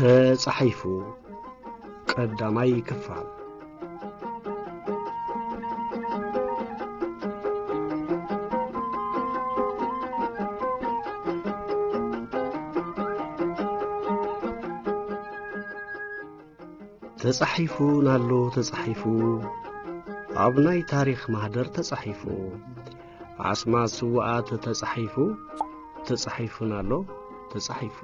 ተጻሒፉ ቀዳማይ ክፋል። ተጻሒፉ ናሎ ተጻሒፉ፣ ኣብ ናይ ታሪኽ ማህደር ተጻሒፉ፣ ኣስማት ስውኣት ተጻሒፉ፣ ተጻሒፉ ናሎ ተጻሒፉ።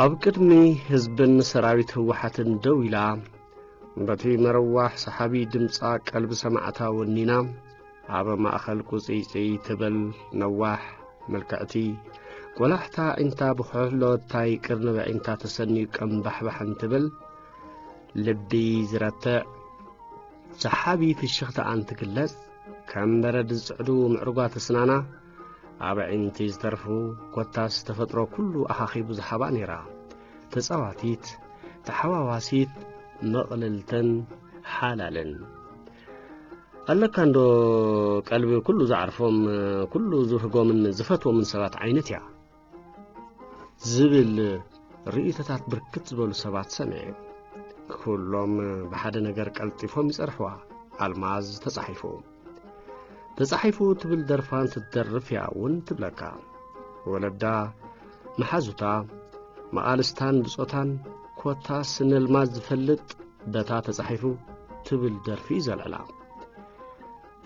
ኣብ ቅድሚ ህዝብን ሰራዊት ህወሓትን ደው ኢላ፣ በቲ መረዋሕ ሰሓቢ ድምጻ ቀልቢ ሰማዕታ ወኒና፣ ኣብ ማእከል ቁጽይጽይ ትብል ነዋሕ፣ ምልክዕቲ፣ ቆላሕታ ኣዒንታ ብኹሕሎታይ ቅርኒ ብዒንታ ተሰንዩ ቀምባሕባሕ እንትብል፣ ልቢ ዝረትዕ ሰሓቢ ፍሽኽታኣን ትግለጽ፣ ከም በረድ ዝጽዕዱ ምዕሩጋት ኣስናና፣ ኣብ ኣዒንቲ ዝተርፉ፣ ኮታስ ተፈጥሮ ኩሉ ኣኻኺቡ ዝሃባ ነይራ። ተጻዋቲት፣ ተሓዋዋሲት፣ ምቕልልትን ሓላልን። ኣለካ እንዶ ቀልቢ ኩሉ ዝዓርፎም፣ ኩሉ ዝብህጎምን ዝፈትዎምን ሰባት ዓይነት እያ። ዝብል ርእይቶታት ብርክት ዝበሉ ሰባት ሰሚዐ። ኩሎም ብሓደ ነገር ቀልጢፎም ይጸርሕዋ። ኣልማዝ ተጻሒፉ። ተጻሒፉ ትብል ደርፋ እንትትደርፍ እያ እውን ትብለካ። ወለዳ፣ መሓዙታ፣ መቓልስታን ብጾታን ኮታስ ነልማዝ ዝፈልጥ በታ ተጻሒፉ ትብል ደርፊ እዩ ዘልዕላ።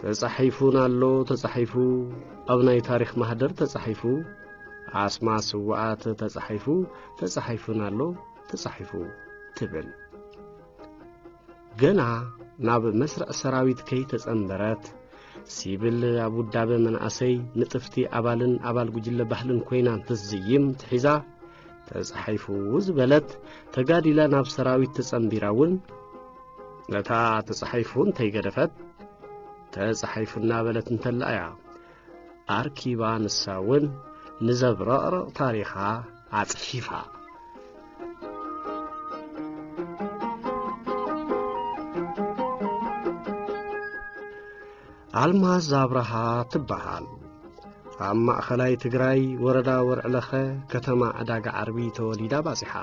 ተጻሒፉ ናሎ ተጻሒፉ፣ ኣብ ናይ ታሪኽ ማህደር ተጻሒፉ፣ ኣስማ ስውኣት ተጻሒፉ፣ ተጻሒፉ ናሎ ተጻሒፉ ትብል። ገና ናብ መስርዕ ሰራዊት ከይተጸንበረት፣ ሲብል ኣብ ውዳበ መናእሰይ ንጥፍቲ ኣባልን ኣባል ጉጅለ ባህልን ኮይና እንትትዝይም ትሒዛ፣ ተጻሒፉ ዝበለት ተጋዲላ ናብ ሰራዊት ተጸንቢራ እውን፣ ነታ ተጻሒፉ እንተይገደፈት፣ ተጻሒፉ እናበለት እንተላ እያ ኣርኪባ ንሳ እውን ንዘብረቕርቕ ታሪኻ ኣጽሒፋ። ኣልማዝ ኣብርሃ ትበሃል። ኣብ ማእኸላይ ትግራይ ወረዳ ወርዕለኸ ከተማ ዕዳጋ ዓርቢ ተወሊዳ ባጺሓ።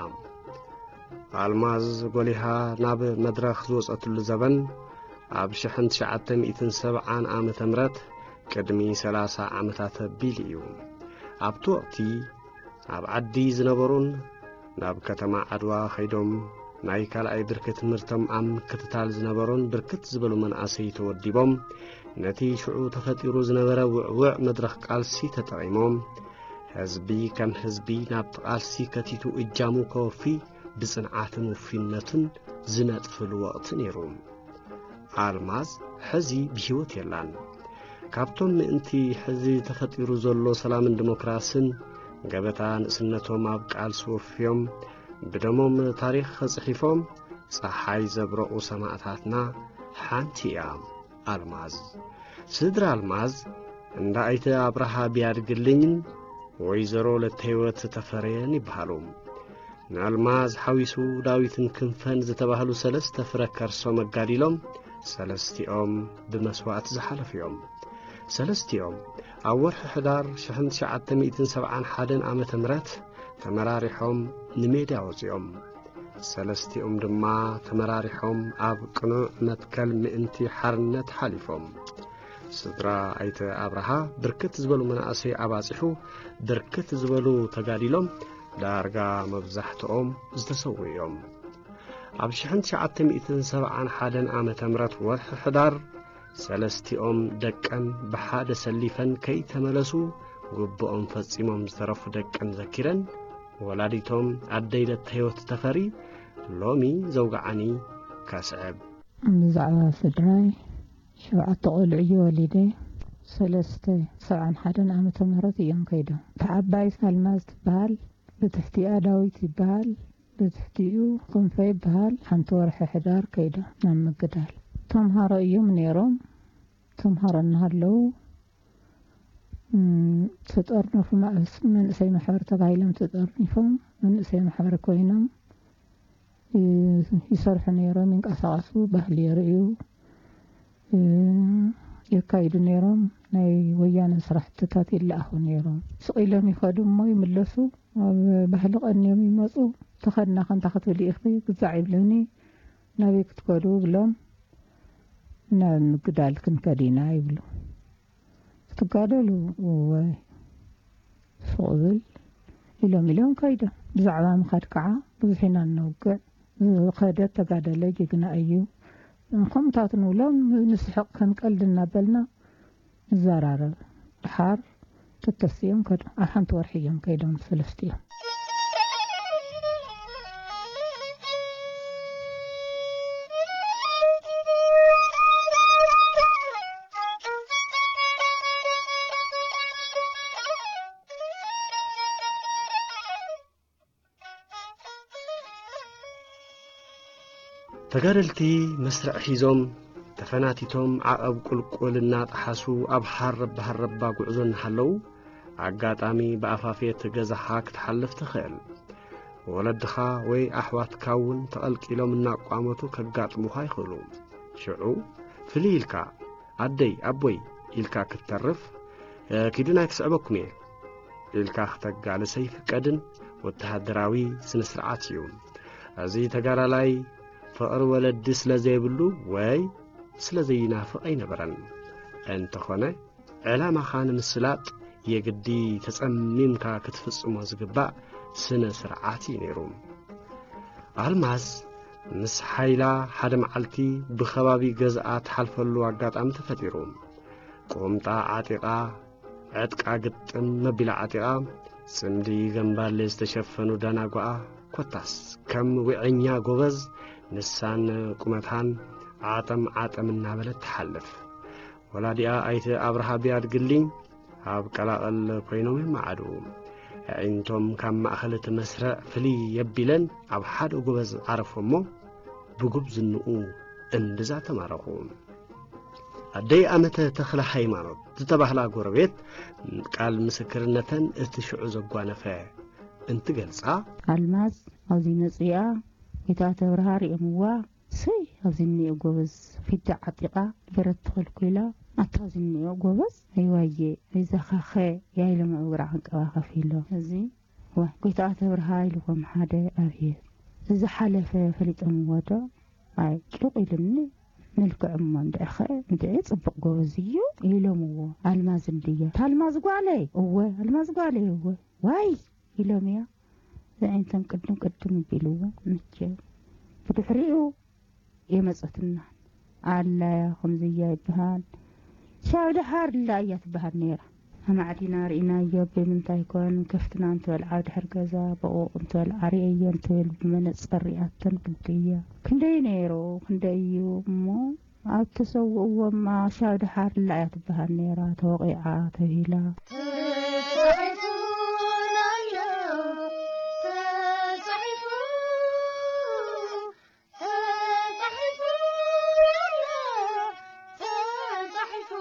ኣልማዝ ጎሊሃ ናብ መድረኽ ዝወጸትሉ ዘበን ኣብ ሽሕን ትሽዓተ ሚእትን ሰብዓን ዓመተ ምህረት ቅድሚ ሰላሳ ዓመታት ኣቢሉ እዩ። ኣብቲ ወቕቲ ኣብ ዓዲ ዝነበሩን ናብ ከተማ ዓድዋ ኸይዶም ናይ ካልኣይ ብርኪ ትምህርቶም ኣብ ምክትታል ዝነበሩን ብርክት ዝበሉ መናእሰይ ተወዲቦም ነቲ ሽዑ ተፈጢሩ ዝነበረ ውዕውዕ መድረኽ ቃልሲ ተጠቒሞም ህዝቢ ከም ህዝቢ ናብቲ ቃልሲ ከቲቱ እጃሙ ከወፊ ብጽንዓትን ውፊነትን ዝነጥፍሉ ወቕቲ ነይሩ። ኣልማዝ ሕዚ ብህይወት የላን። ካብቶም ምእንቲ ሕዚ ተፈጢሩ ዘሎ ሰላምን ዲሞክራስን ገበታ ንእስነቶም ኣብ ቃልሲ ወፍዮም ብደሞም ታሪኽ ኸጽሒፎም ጸሓይ ዘብረቑ ሰማእታትና ሓንቲ እያ ኣልማዝ። ስድራ ኣልማዝ እንዳ ኣይተ ኣብርሃ ቢያድግልኝን ወይዘሮ ለተህይወት ተፈረየን ይበሃሉ። ንኣልማዝ ሓዊሱ ዳዊትን ክንፈን ዝተባህሉ ሰለስተ ፍረ ከርሶም ኣጋዲሎም ሰለስቲኦም ብመስዋእቲ ዝሓለፉ እዮም። ሰለስቲኦም ኣብ ወርሒ ሕዳር ሽሕን ትሽዓተ ሚእትን ሰብዓን ሓደን ዓመተ ምህረት ተመራሪሖም ንሜዳ ወጺኦም። ሰለስቲኦም ድማ ተመራሪሖም ኣብ ቅኑዕ መትከል ምእንቲ ሓርነት ሓሊፎም። ስድራ ኣይተ ኣብርሃ ብርክት ዝበሉ መናእሰይ ኣባጺሑ ብርክት ዝበሉ ተጋዲሎም ዳርጋ መብዛሕትኦም ዝተሰዉ እዮም። ኣብ ሽሕን ትሽዓተ ሚእትን ሰብዓን ሓደን ዓመተ ምህረት ወርሒ ሕዳር ሰለስቲኦም ደቀን ብሓደ ሰሊፈን ከይተመለሱ ግብኦም ፈጺሞም ዝተረፉ ደቀን ዘኪረን ወላዲቶም ኣደይ ለተህይወት ተፈሪ ሎሚ ዘውግዓኒ ከስዕብ። ብዛዕባ ስድራይ ሸውዓተ ቆልዑ እየ ወሊደ። ሰለስተ ሰብዓን ሓደን ዓመተ ምህረት እዮም ከይዶም። እታ ዓባይ ኣልማዝ ትበሃል፣ ብትሕቲኣ ዳዊት ይበሃል፣ ብትሕቲኡ ክንፈ ይበሃል። ሓንቲ ወርሒ ሕዳር ከይዶም ናብ ምግዳል። ተምሃሮ እዮም ነይሮም። ተምሃሮ እናሃለዉ እም፣ ተጠርነፉ። ማእስ መንእሰይ ማሕበር ተባሂሎም ተጠርኒፎም መንእሰይ ማሕበር ኮይኖም ይ-፣ ይሰርሑ ነይሮም፣ ይንቀሳቐሱ፣ ባህሊ የርእዩ፣ እ፣ የካይዱ ነይሮም። ናይ ወያነ ስራሕትታት ይለኣኹ ነይሮም። ስቕ ኢሎም ይኸዱ እሞ ይምለሱ። ኣብ ባህሊ ቀንዮም ይመጹ። ተኸድና ከንታ ክትብል ኢኺ ግዛዕ ይብሉኒ። ናበይ ክትከዱ ብሎም፣ ናብ ምግዳል ክንከድ ኢና ይብሉ። ክትጋደሉ? እወ፣ ሱቕ ብል ኢሎም ኢሎም ከይዶም። ብዛዕባ ምኻድ ከዓ ብዙሕ ኢና እነውግዕ። ዝኸደ ተጋደለ ጅግና እዩ። ከምኡታት ንብሎም፣ ንስሕቕ ከም ቀልዲ እናበልና ንዘራረብ። ድሓር ተተሲኦም ከዱ። ኣብ ሓንቲ ወርሒ እዮም ከይዶም ሰለስቲኦም። ተጋደልቲ መስርዕ ሒዞም፣ ተፈናቲቶም ዓቐብ ቁልቁል እናጠሓሱ ኣብ ሃረባ ሃረባ ጉዕዞ እናሃለዉ፣ ኣጋጣሚ ብኣፋፌት ገዛኻ ክትሓልፍ ትኽእል። ወለድኻ ወይ ኣሕዋትካ እውን ተቐልቂሎም እናቋመቱ ከጋጥሙኻ ይኽእሉ። ሽዑ ፍልይ ኢልካ፣ "ኣደይ፣ ኣቦይ" ኢልካ ክትተርፍ፣ "እ፣ ኪዱን ኣይክስዕበኩም እየ" ኢልካ ክተጋልስ ኣይፍቀድን ወተሃደራዊ ስነ ስርዓት እዩ። እዚ ተጋዳላይ ፍቕሪ ወለዲ ስለ ዘይብሉ ወይ ስለ ዘይናፍቕ ኣይነበረን። እንተኾነ፣ ዕላማኻ ንምስላጥ የግዲ ተጸሚምካ ክትፍጽሞ ዝግባእ ስነ ስርዓት እዩ ነይሩ። ኣልማዝ ምስ ሓይላ ሓደ መዓልቲ ብኸባቢ ገዝኣ ትሓልፈሉ ኣጋጣሚ ተፈጢሩ። ቁምጣ ዓጢቓ፣ ዕጥቃ ግጥም መቢላ ዓጢቓ፣ ጽምዲ ገምባሌ ዝተሸፈኑ ዳናጓኣ፣ ኮታስ ከም ዊዐኛ ጎበዝ ንሳን ቁመታን ዓጠም ዓጠም እናበለት ትሓልፍ። ወላዲኣ ኣይተ ኣብርሃ ቢያድግልኝ ኣብ ቀላቐል ኮይኖም ይመዓዱ። ኣዒንቶም ካብ ማእኸል እቲ መስርዕ ፍልይ የቢለን ኣብ ሓደ ጎበዝ ዓረፎ እሞ ብጉብዝንኡ እምብዛ ተማረኹ። ኣደይ ኣመተ ተኽለ ሃይማኖት ዝተባህላ ጎረቤት ቃል ምስክርነተን እቲ ሽዑ ዘጓነፈ እንትገልጻ፣ ኣልማዝ ኣብዚ መጽኣ ጌታ ተብርሃ ርእዮምዋ። ሰይ ኣብዚ እኒኦ ጎበዝ ፊዳ ዓጢቓ ገረት ተኸልኩላ። ኣታ እዚ እኒኦ ጎበዝ ኣይዋየ ኣይዛኻኸ ያይለምዑ ግራ ዕንቀባ ከፊሎ። እዚ ዋ ጎይታ ተብርሃ ኢልዎም ሓደ ኣብየ ዝሓለፈ ፈሊጦምዎ ዶ? ኣይ ጭቕ ኢሉኒ። መልክዕ እሞ እንድዕኸ እንድዒ ጽቡቕ ጎበዝ እዩ ኢሎምዎ። ኣልማዝ እንድየ ታልማዝ ጓለይ እወ ኣልማዝ ጓለይ እወ ዋይ ኢሎም እያ ዘዒንቶም ቅድም ቅድም ቢልዎ። ምቸ ብድሕሪኡ የመጸትና ኣላያ ከምዝያ ይበሃል። ሻው ደሓር ላ እያ ትበሃል ነይራ። ኣማዕዲና ርኢናዮ ብምንታይ ኮን ከፍትና እንትበልዓ ድሕር ገዛ በቑቕ እንትበልዓ ርእየዮ እንትብል ብመነጸር ሪኣተን ግዲ እያ። ክንደይ ነይሩ ክንደይ እዩ እሞ ኣብ ተሰውእዎማ ሻው ደሓር ላ እያ ትበሃል ነይራ ተወቒዓ ተብሂላ። ተጻሒፉ ኣሎ፣ ተጻሒፉ፣ ተጻሒፉ ኣሎ፣ ተጻሒፉ።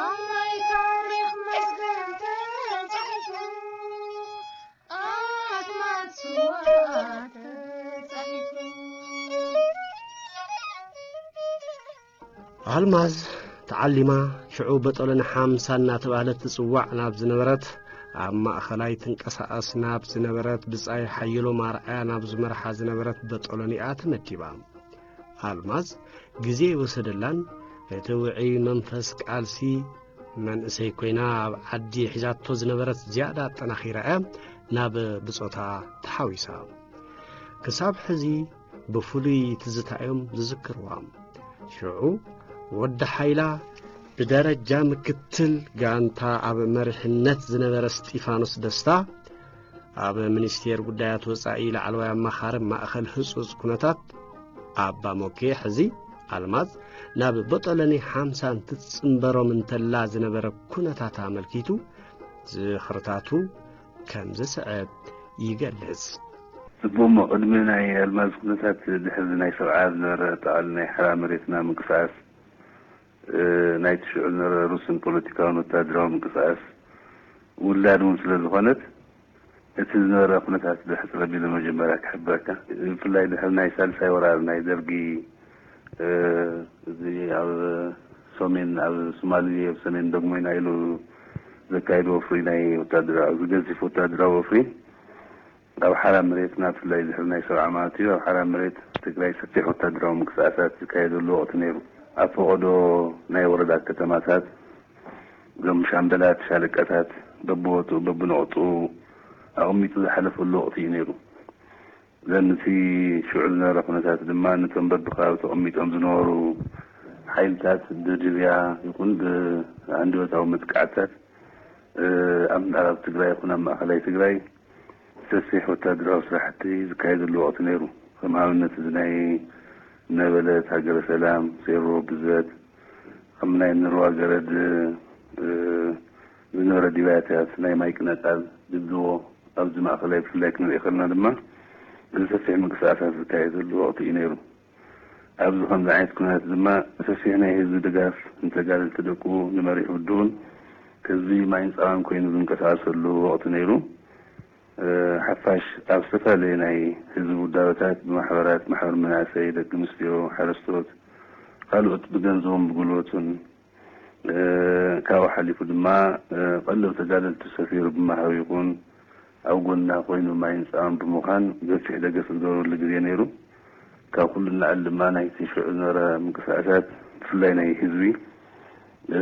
ኣብ ናይ ታሪኽ መዝገብ ተጻሒፉ። ኣስማት ስውኣት ተጻሒፉ። ኣልማዝ ተዓሊማ ሽዑ በጦሎኒ ሓምሳ እናተባህለት ትጽዋዕ ናብ ዝነበረት ኣብ ማእኸላይ ትንቀሳቐስ ናብ ዝነበረት ብጻይ ሓየሎም ኣርዓያ ናብ ዝመርሓ ዝነበረት በጦሎኒኣ ተመዲባ። ኣልማዝ ግዜ ይወሰደላን እቲ ውዑይ መንፈስ ቃልሲ መንእሰይ ኮይና ኣብ ዓዲ ሒዛቶ ዝነበረት ዝያዳ ኣጠናኺራ እያ ናብ ብጾታ ተሓዊሳ። ክሳብ ሕዚ ብፍሉይ ትዝታ እዮም ዝዝክርዋ። ሽዑ ወዲ ሓይላ ብደረጃ ምክትል ጋንታ ኣብ መሪሕነት ዝነበረ እስጢፋኖስ ደስታ፣ ኣብ ሚኒስቴር ጉዳያት ወጻኢ ላዕለዋይ ኣማኻሪ ማእኸል ህጹጽ ኩነታት ኣባ ሞኬ፣ ሕዚ ኣልማዝ ናብ ቦጦሎኒ ሓምሳ እንትጽንበሮም እንተላ ዝነበረ ኩነታት ኣመልኪቱ ዝኽርታቱ ከም ዝስዕብ ይገልጽ። ጽቡቕ እሞ፣ ቅድሚ ናይ ኣልማዝ ኩነታት ድሕሪ ናይ ሰብዓ ዝነበረ ኣጠቓሊ ናይ ሓራ መሬትና ምንቅስቓስ፣ እ፣ ናይቲ ሽዑ ዝነበረ ሩስን ፖለቲካውን ወታደራዊ ምንቅስቓስ ውላድ እውን ስለ ዝኾነት፣ እቲ ዝነበረ ኩነታት ብሕጽር ኣቢለ መጀመርያ ክሕብረካ። ብፍላይ ድሕሪ ናይ ሳልሳይ ወራር ናይ ደርጊ፣ እ፣ እዚ ኣብ ሰሜን፣ ኣብ ሶማሊ፣ ኣብ ሰሜን ደጉሞይና ኢሉ ዘካየዶ ወፍሪ፣ ናይ ወታደራዊ፣ እዚ ገዚፍ ወታደራዊ ወፍሪ፣ ኣብ ሓራ መሬትና፣ ብፍላይ ድሕሪ ናይ ሰብዓ ማለት እዩ፣ ኣብ ሓራ መሬት ትግራይ ሰፊሕ ወታደራዊ ምንቅስቃሳት ዝካየደሉ ወቕቲ ነይሩ። ኣብ ፈቐዶ ናይ ወረዳ ከተማታት፣ እዞም ሻምበላት፣ ሻለቃታት በብቦትኡ፣ በብነቑጥኡ ኣቐሚጡ ዝሓለፈሉ ወቕቲ እዩ ነይሩ። ዘን እቲ ሽዑ ዝነበረ ኩነታት ድማ፣ ነቶም በብከባቢ ተቐሚጦም ዝነበሩ ሓይልታት ብድብያ ይኹን ብሃንደበታዊ መጥቃዕትታት፣ እ፣ ኣብ ምዕራብ ትግራይ ይኹን ኣብ ማእኸላይ ትግራይ ሰፊሕ ወታደራዊ ስራሕቲ ዝካየደሉ ወቕቲ ነይሩ። ከም ኣብነት፣ እዚ ናይ ነበለት፣ ሃገረ ሰላም፣ ሴሮ፣ ብዘት፣ ከም ናይ ንርዋ ገረድ፣ እ፣ ዝነበረ ዲባያታት፣ ናይ ማይ ቅነጣል፣ ድብድቦ፣ ኣብዚ ማእኸላይ ብፍላይ ክንርኢ ከለና ድማ፣ እዚ ሰፊሕ ምንቅስቃሳት ዝካየደሉ ወቕቲ እዩ ነይሩ። ኣብዚ ከምዚ ዓይነት ኩነታት ድማ፣ ሰፊሕ ናይ ህዝቢ ድጋፍ ንተጋደልቲ ደቁ፣ ንመሪሕ ውድቡን ህዝቢ ማይን ጻባን ኮይኑ ዝንቀሳቐሰሉ ወቕቲ ነይሩ። እ፣ ሓፋሽ ኣብ ዝተፈላለዩ ናይ ህዝቢ ውዳበታት፣ ብማሕበራት፣ ማሕበር መናእሰይ፣ ደቂ ኣንስትዮ፣ ሓረስቶት፣ ካልኦት ብገንዘቦም ብጉልበቱን፣ እ፣ ካብኡ ሓሊፉ ድማ፣ እ፣ ቀለብ ተጋደልቲ ሰፊሩ ብመሃብ ይኹን ኣብ ጎንና ኮይኑ ማይን ጻባን ብምዃን ገፊሕ ደገፍ ዝገብረሉ ግዜ ነይሩ። ካብ ኩሉ ንላዕሊ ድማ ናይቲ ሽዑ ዝነበረ ምንቅስቃሳት፣ ብፍላይ ናይ ህዝቢ፣ እ፣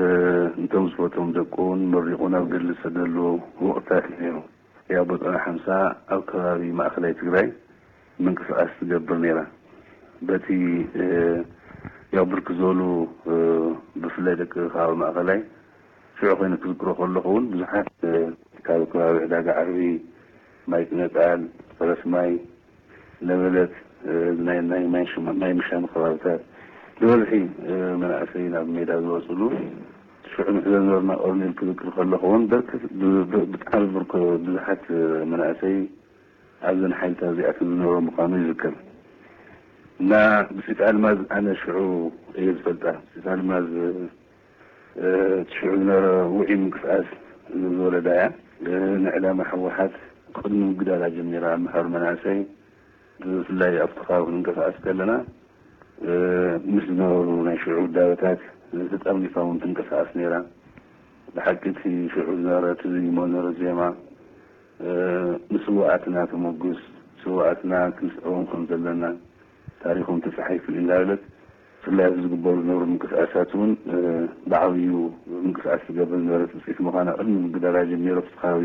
ነቶም ዝፈትዎም ደቁን መሪቑ ናብ ገድሊ ዝሰደሉ ወቕትታት እዩ ነይሩ። ያው ቦጦሎኒ ሓምሳ ኣብ ከባቢ ማእኸላይ ትግራይ ምንቅስቃስ ትገብር ነይራ። በቲ፣ እ፣ ያው ብርክት ዝበሉ፣ እ፣ ብፍላይ ደቂ ከባቢ ማእኸላይ ሽዑ ኮይኑ ክዝክሮ ከለኹ እውን ብዙሓት፣ እ፣ ካብ ከባቢ ዕዳጋ ዓርቢ፣ ማይ ቅነጣል፣ ፈረስ ማይ፣ ነበለት፣ እ፣ ናይ፣ ናይ ማይ ሽማ-፣ ማይ ምሻም ከባብታት ብበዝሒ፣ እ፣ መናእሰይ ናብ ሜዳ ዝወፅሉ ሽዑ ንሕዘ ዝነበርና ኦርኔል ክዝክር ከለኹ እውን ብርክት፣ ብ-፣ ብ-፣ ብጣዕሚ ብርክ-፣ ብዙሓት፣ እ፣ መናእሰይ ኣብዘን ሓይልታት እዚኣተን ዝነበሩ ምዃኑ ይዝከር። እና ብሲት ኣልማዝ ኣነ ሽዑ እየ ዝፈልጣ። ብሲት ኣልማዝ እቲ ሽዑ ዝነበረ ውዒ ምንቅስቃስ ዝወለዳ እያ። ንዕላማ ህወሓት ቅድሚ ምግዳላ ጀሚራ ኣብ ምሕባር መናእሰይ ብፍላይ ኣብቲ ከባቢ ክንንቀሳቀስ ከለና ምስ ዝነበሩ ናይ ሽዑ ውዳበታት ተጠርኒፋ እውን ትንቀሳቀስ ነይራ። ብሓቂ እቲ ሽዑ ዝነበረ ትዝይሞ ዝነበረ ዜማ ንስውኣትና ተመጉስ፣ ስውኣትና ክንስዕቦም ከም ዘለና፣ ታሪኾም ተፃሒፉ እዩ እንዳበለት ብፍላይ ኣብዚ ዝግበሩ ዝነበሩ ምንቅስቃሳት እውን ብዓብዩ ምንቅስቃስ ትገብር ዝነበረት ውፅኢት ምዃና ቅድሚ ምግዳላ ጀሚሮ ኣብቲ ከባቢ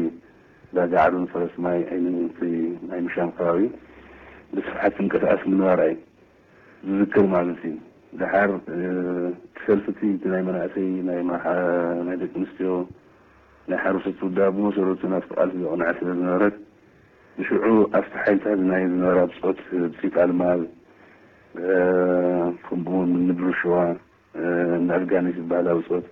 ዳጋ ዓዶን ፈረስ ማይ ዓይኒ ናይ ምሻም ከባቢ ብስፍሓት ትንቀሳቀስ ምንባራ እዩ ዝዝክር ማለት እዩ። ደሓር እቲ ሰልፊ እቲ ናይ መናእሰይ ናይ ደቂ ኣንስትዮ ናይ ሓረስቶት ውዳብ ብመሰረቱ ናብቲ ቃልሲ ዘቕንዐ ስለ ዝነበረት ብሽዑ ኣብቲ ሓይልታት ናይ ዝነበራ ብፆት ብሲት ኣልማዝ ከምኡውን ንድሩ ሽዋ ንኣፍጋኒስ ዝበሃል ኣውፅኦት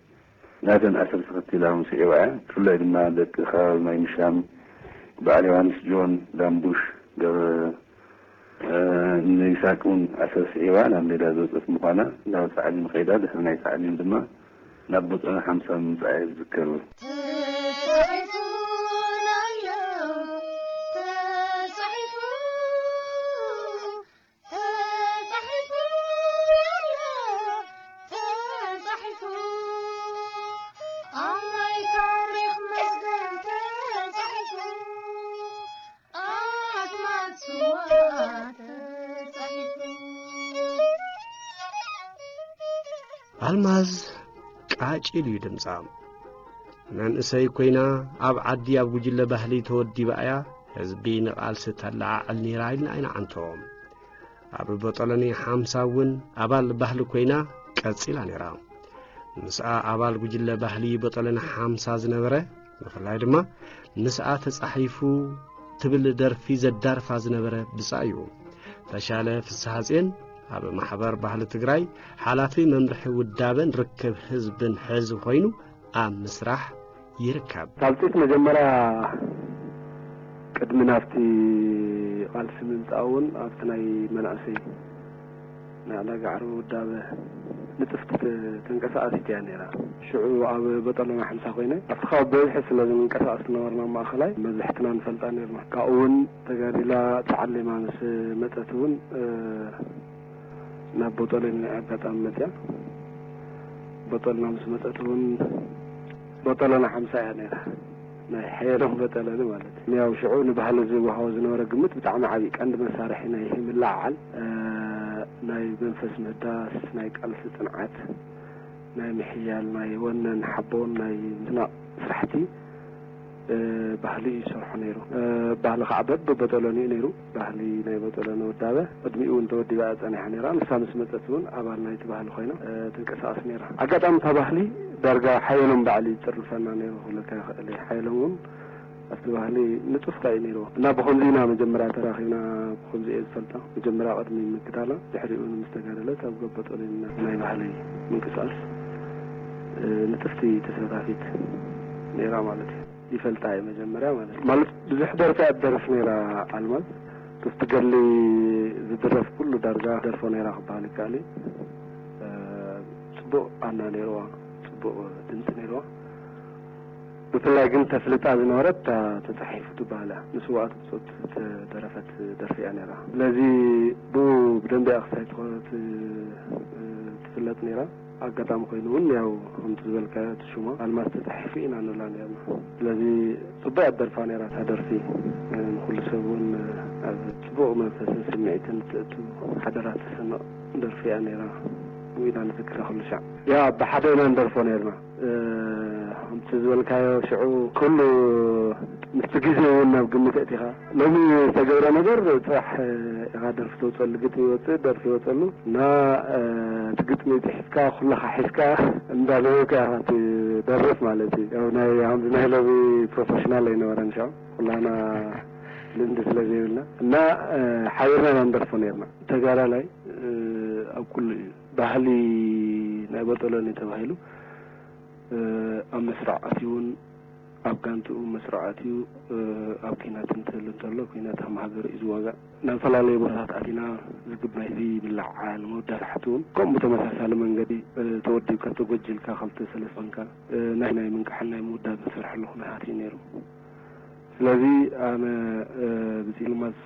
ናተን ኣሰር ተኸቲላ ምስ ዒባ እያ። ብፍላይ ድማ ደቂ ከባቢ ማይ ምሻም በዓል ዮሃንስ ጆን ዳምቡሽ ገበ ንይስሓቅ እውን ኣሰር ስዒባ ናብ ሜዳ ዘውፅኦት ምዃና ናብ ታዕሊም ከይዳ ድሕሪ ናይ ታዕሊም ድማ ናብ ቦፀና ሓምሳ ምምፃኣ እየ ዝዝከር። ተጻሒፉ ኣሎ፣ ተጻሒፉ፣ ተጻሒፉ ኣሎ፣ ተጻሒፉ፣ ኣብ ናይ ታሪኽ መዝገብ ተጻሒፉ፣ ኣስማት ስዋ ተጻሒፉ። ኣልማዝ ቃጭል እዩ ድምጻ። መንእሰይ ኮይና ኣብ ዓዲ ኣብ ጉጅለ ባህሊ ተወዲባ እያ ህዝቢ ንቓልሲ ተለዓዕል ነይራ ኢልና ኣይንዓንቶ። ኣብ ቦጦሎኒ ሓምሳ እውን ኣባል ባህሊ ኮይና ቀጺላ ነይራ። ምስኣ ኣባል ጉጅለ ባህሊ ቦጦሎኒ ሓምሳ ዝነበረ፣ ብፍላይ ድማ ምስኣ ተጻሒፉ ትብል ደርፊ ዘዳርፋ ዝነበረ ብጻ እዩ። ተሻለ ፍስሓጽዮን ኣብ ማሕበር ባህሊ ትግራይ ሓላፊ መምርሒ ውዳበን ርክብ ህዝብን ሕዚ ኮይኑ ኣብ ምስራሕ ይርከብ። ካብ ፂት መጀመርያ ቅድሚ ናብቲ ቃልሲ ምምፃእ እውን ኣብቲ ናይ መናእሰይ ናይ ዕዳጋ ዓርቢ ውዳበ ንጥፍቲ ተ-፣ ተንቀሳቃሲት እያ ነይራ። ሽዑ ኣብ በጠለና ሓምሳ ኮይነ ኣብቲ ካብ በዝሒ ስለ ዝንቀሳቀስ ዝነበርና ማእኸላይ መብዛሕትና ንፈልጣ ነርና። ካብኡ እውን ተጋዲላ ተዓሊማ ምስ መፀት እውን፣ እ፣ ናብ ቦጦለኒ ኣጋጣሚ መፅያ። ቦጦልና ምስ መፀት እውን ቦጦለና ሓምሳ እያ ነይራ። ናይ ሓየሎም ቦጦለኒ ማለት እዩ። ያው ሽዑ ንባህሊ ዝወሃቦ ዝነበረ ግምት ብጣዕሚ ዓብዪ ቀንዲ መሳርሒ ናይ ምልዕዓል፣ እ፣ ናይ መንፈስ ምህዳስ፣ ናይ ቃልሲ ፅንዓት፣ ናይ ምሕያል፣ ናይ ወነን ሓቦን ናይ ምስናቕ ስራሕቲ፣ እ፣ ባህሊ እዩ ዝሰርሖ ነይሩ። እ፣ ባህሊ ከዓ በብቦጦሎኒ እዩ ነይሩ። ባህሊ ናይ ቦጦሎኒ ውዳበ ቅድሚኡ እውን ተወዲባ እያ ጸኒሓ ነይራ። ንሳ ምስ መጸት እውን ኣባል ናይቲ ባህሊ ኮይና፣ እ፣ ትንቀሳቐስ ነይራ። ኣጋጣሚ እታ ባህሊ ዳርጋ ሓየሎም ባዕሉ ይጽርፈና ነይሩ ክብለካ ይኽእል እየ። ሓየሎም እውን ኣብቲ ባህሊ ንጡፍ እዩ ነይርዎ። እና ብኸምዚ ኢና መጀመርያ ተራኺብና፣ ብኸምዚ እየ ዝፈልጣ። መጀመርያ ቅድሚ ምግዳላ፣ ድሕሪኡ ምስ ተጋደለት ኣብ ቦጦሎኒ ናይ ባህሊ ምንቅስቃስ፣ እ፣ ንጥፍቲ ተሳታፊት ነይራ ማለት እዩ። ይፈልጣ እየ መጀመርያ ማለት እዩ። ማለት ብዙሕ ደርፊ እያ ትደርፍ ነይራ ኣልማዝ። ክፍቲ ገሊ ዝድረፍ ኩሉ ዳርጋ ደርፎ ነይራ ክበሃል ይከኣል እዩ። እ፣ ጽቡቕ ኣና ነይርዋ፣ ጽቡቕ ድምጺ ነይርዋ። ብፍላይ ግን ተፍልጣ ዝነበረት እታ ተጻሒፉ ትበሃል እያ። ንስውኣት ብጾት ዝተደረፈት ደርፊ እያ ነይራ። ስለዚ ብኡ ብደንቢ እያ ክሳይ ትኾ-፣ ት-፣ ትፍለጥ ነይራ። ኣጋጣሚ ኮይኑ እውን ያው ከምቲ ዝበልካዮ እቲ ሽማ ኣልማዝ ተጻሒፉ ኢና ንብላ ነርና። ስለዚ ጽቡቅ እያ ደርፋ ነይራ እታ ደርፊ። ንኩሉ ሰብ እውን ኣብ ጽቡቅ መንፈስን ስምዒትን እትእቱ ሓደራ ተሰንቕ ደርፊ እያ ነይራ። ብኡ ኢና ንዝክራ ኩሉ ሻዕ። ያ ብሓደ ኢና ንደርፎ ነርና። እ፣ ከምቲ ዝበልካዮ ሽዑ ኩሉ ምስቲ ግዜ እውን ናብ ግምት ኣእቲኻ ሎሚ ዝተገብረ ነገር ጽባሕ ኢኻ ደርፊ ተውፅአሉ፣ ግጥሚ ይወፅእ፣ ደርፊ ይወፅአሉ እና፣ እ፣ እቲ ግጥሚ ፅሒፍካ ኩልኻ ሒዝካ እንዳነበብካ ኢኻ ትደርፍ ማለት እዩ። ያው ናይ፣ ከምዚ ናይ ሎሚ ፕሮፌሽናል ኣይነበረን፣ ሻው ኩላና ልምዲ ስለ ዘይብልና እና፣ እ፣ ሓቢርና ኢና ንደርፎ ነይርና። ተጋዳላይ፣ እ፣ ኣብ ኩሉ እዩ። ባህሊ ናይ ቦጦሎኒ ተባሂሉ፣ እ፣ ኣብ መስርዕ ኣትዩ እውን ኣብ ጋንትኡ መስርዓት እዩ። ኣብ ኲናት እንትህሉ እንተሎ ኲናት ከም ሃገር እዩ ዝዋጋእ። ናብፈላለየ ቦታታት ኣቲና ዝግብ ናይ ህዝቢ ምልዕዓል፣ ምውዳእ ስራሕቲ እውን ከምኡ ብተመሳሳሊ መንገዲ ተወዲብካ ተጎጅልካ ክልተ ሰለስተ ኮንካ ናይ ናይ ምንቃሕን ናይ ምውዳብ ዝሰርሐሉ ኩነታት እዩ ነይሩ። ስለዚ ኣነ ብፂልማዝ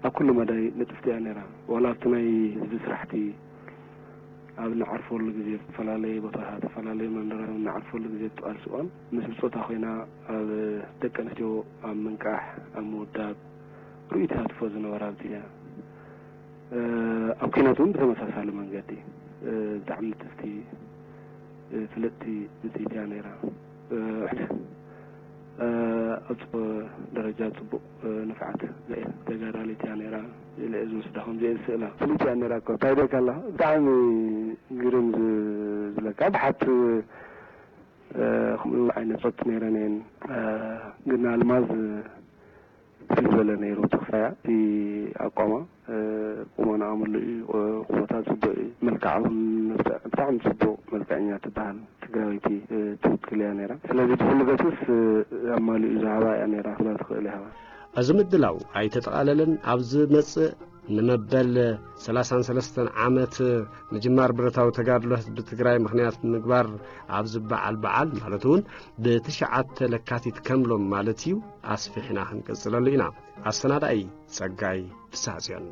ኣብ ኩሉ መዳይ ንጥፍቲ እያ ነይራ። ዋላ ኣብቲ ናይ ህዝቢ ስራሕቲ ኣብ ንዓርፈሉ ግዜ ዝተፈላለየ ቦታታት፣ ዝተፈላለየ መንደራት ኣብ ንዓርፈሉ ግዜ ትቃልስ እዋን ምስ ብፆታ ኮይና ኣብ ደቂ ኣንስትዮ ኣብ ምንቃሕ ኣብ ምውዳብ ርኡይ ተሳትፎ ዝነበራ ኣብቲ እያ። ኣብ ኲናት እውን ብተመሳሳሊ መንገዲ ብጣዕሚ ንጥፍቲ ፍልጥቲ ብፅይቲ እያ ነይራ። ኣብ ደረጃ ፅቡቅ ንፍዓት ተጋዳሊት እያ ነይራ። ኢለ ዝወስዳ ከምዚ እየ ዝስእላ። ፍልይቲ እያ ነይራ እኮ እንታይ ደካ ኣላ ብጣዕሚ ግርም ዝብለካ ብሓት ከምኡ ዓይነት ፆት ነይረን እየን። ግን ኣልማዝ ፍል ዝበለ ነይሩ ተኽሳያ እቲ ኣቋማ ቁመና ኣምሉ እዩ። ቁመታ ፅቡቅ እዩ። መልክዓ እውን ብጣዕሚ ፅቡቅ መልክዐኛ ትበሃል ትግራዊቲ ትውክል እያ ነይራ። ስለዚ ብኩሉ ገፅስ ኣማሊኡ ዝሃባ እያ ነይራ ክብላ ትኽእል እያ። እዚ ምድላው ኣይተጠቓለለን። ኣብ ዝመጽእ ንመበል ሰላሳን ሰለስተን ዓመት ምጅማር ብረታዊ ተጋድሎ ህዝቢ ትግራይ ምኽንያት ብምግባር ኣብ ዝበዓል በዓል ማለት እውን ብትሽዓተ ለካቲት ከም ሎም ማለት እዩ ኣስፊሕና ክንቅጽለሉ ኢና። ኣሰናዳኢ ጸጋይ ፍስሓጽዮን።